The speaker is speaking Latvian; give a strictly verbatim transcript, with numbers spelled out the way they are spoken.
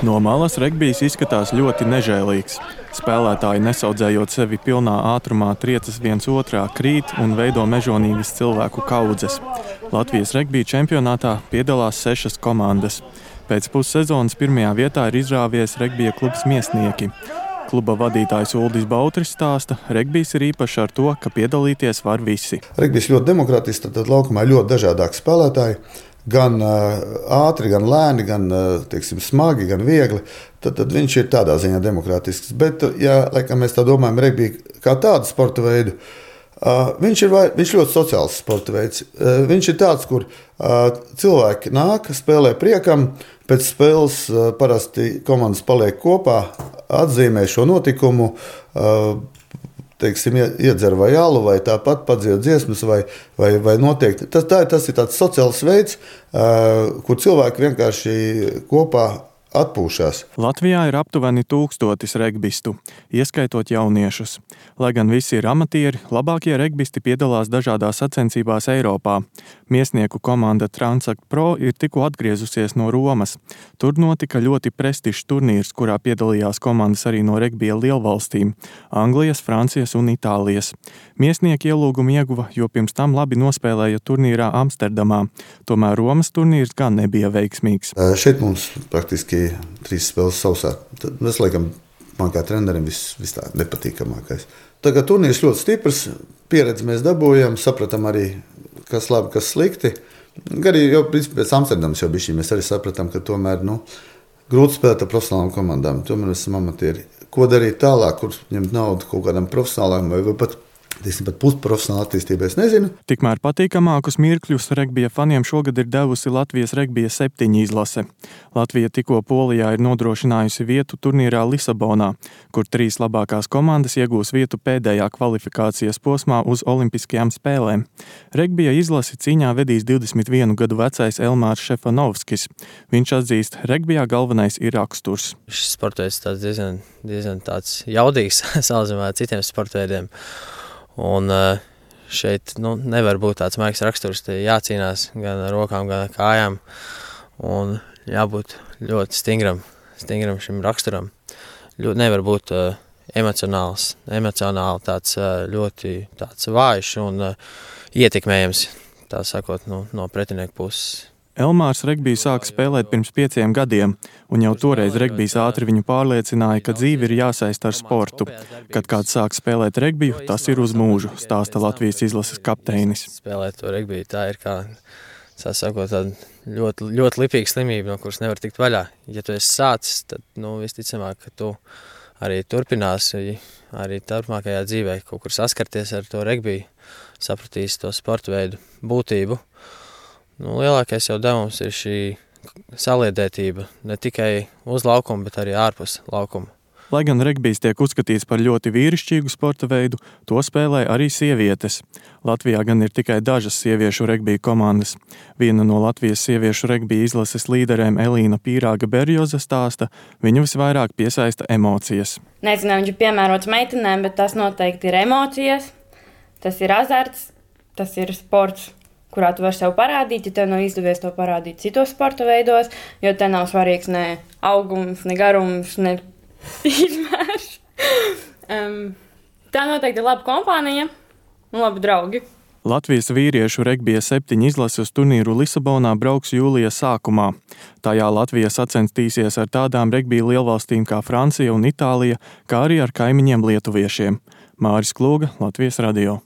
No malas regbijs izskatās ļoti nežēlīgs. Spēlētāji, nesaudzējot sevi pilnā ātrumā, triecas viens otrā, krīt un veido mežonīgas cilvēku kaudzes. Latvijas regbija čempionātā piedalās sešas komandas. Pēc pussezonas pirmajā vietā ir izrāvies regbija klubs Miesnieki. Kluba vadītājs Uldis Bautris stāsta, regbijs ir īpašs ar to, ka piedalīties var visi. Regbijs ļoti demokratisks, tad laukumā ir ļoti dažādāki spēlētāji. Gan uh, ātri, gan lēni, gan uh, teiksim, smagi, gan viegli. Tad, tad viņš ir tādā ziņā demokrātisks. Bet, ja laikam, mēs tā domājam, regbija kā tādu sporta veidu, uh, viņš ir vai, viņš ļoti sociāls sporta veids. Uh, viņš ir tāds, kur uh, cilvēki nāk, spēlē priekam, pēc spēles uh, parasti komandas paliek kopā, atzīmē šo notikumu, uh, teiksim, iedzer vai alu, vai tāpat padzied dziesmas, vai, vai, vai noteikti. Tas, tā, tas ir tāds sociāls veids, uh, kur cilvēki vienkārši kopā atpūšās. Latvijā ir aptuveni tūkstotis regbistu, ieskaitot jauniešus. Lai gan visi ir amatieri, labākie regbisti piedalās dažādās sacensībās Eiropā. Miesnieku komanda Transact Pro ir tikko atgriezusies no Romas. Tur notika ļoti prestižs turnīrs, kurā piedalījās komandas arī no regbija lielvalstīm – Anglijas, Francijas un Itālijas. Miesnieki ielūgumu ieguva, jo pirms tam labi nospēlēja turnīrā Amsterdamā. Tomēr Romas turnīrs gan nebija veiksmīgs. Šeit mums praktiski trīs spēles sausā. Tas, laikam, man kā trenerim viss vis tā nepatīkamākais. Tagad turnīrs ļoti stiprs, pieredzi mēs dabūjam, sapratām arī, kas labi, kas slikti. Arī jau pēc Amsterdamas jau bišķi mēs arī sapratām, ka tomēr, nu, grūti spēlēt ar profesionālām komandām. Tomēr mēs esam amatieri. Ko darīt tālāk, kur ņemt naudu kaut kādam profesionālām vai, vai pat Tiesim, pat pusprofesionāla attīstība, es nezinu. Tikmēr patīkamākus mirkļus regbija faniem šogad ir devusi Latvijas regbija septiņi izlase. Latvija tikko Polijā ir nodrošinājusi vietu turnīrā Lisabonā, kur trīs labākās komandas iegūs vietu pēdējā kvalifikācijas posmā uz olimpiskajām spēlēm. Regbija izlasi cīņā vedīs divdesmit vienu gadu vecais Elmārs Šefanovskis. Viņš atzīst, regbijā galvenais ir raksturs. Šis sports tāds diezgan, diezgan tāds jaudīgs salīdzinājumā ar citiem sportveidiem. Un šeit nu, nevar būt tāds maigs raksturs, te jācīnās gan ar rokām, gan ar kājām. Un jābūt ļoti stingram, stingram šim raksturam. Ļoti nevar būt uh, emocionāls, emocionāli tāds uh, ļoti tāds vājš un uh, ietekmējams, tā sakot, nu, no pretinieku puses. Elmārs regbiju sāka spēlēt pirms pieciem gadiem, un jau toreiz regbijs ātri viņu pārliecināja, ka dzīve ir jāsaista ar sportu. Kad kāds sāk spēlēt regbiju, tas ir uz mūžu, stāsta Latvijas izlases kapteinis. Spēlēt to regbiju, tā ir kā, tā sakot, tāda ļoti, ļoti lipīga slimība, no kuras nevar tikt vaļā. Ja tu esi sācis, tad, nu, visticamāk, ka tu arī turpināsi, arī turpmākajā dzīvē kaut kur saskarties ar to regbiju, sapratīsi to sporta veidu būtību. Nu, lielākais jau devums ir šī saliedētība, ne tikai uz laukuma, bet arī ārpus laukuma. Lai gan regbijs tiek uzskatīts par ļoti vīrišķīgu sporta veidu, to spēlē arī sievietes. Latvijā gan ir tikai dažas sieviešu regbija komandas. Viena no Latvijas sieviešu regbija izlases līderēm Elīna Pīrāga Berjoza stāsta, viņu visvairāk piesaista emocijas. Nezinu, viņš ir piemērots meitenēm, bet tas noteikti ir emocijas, tas ir azarts, tas ir sports, kurā tu vari sev parādīt, ja tev nav izdevies to parādīt citos sporta veidos, jo te nav svarīgs ne augums, ne garums, ne izmērs. um, tā noteikti ir laba kompānija un labi draugi. Latvijas vīriešu regbija septiņi izlasi uz turnīru Lisabonā brauks jūlija sākumā. Tajā Latvija sacenstīsies ar tādām regbija lielvalstīm kā Francija un Itālija, kā arī ar kaimiņiem lietuviešiem. Māris Klūga, Latvijas radio.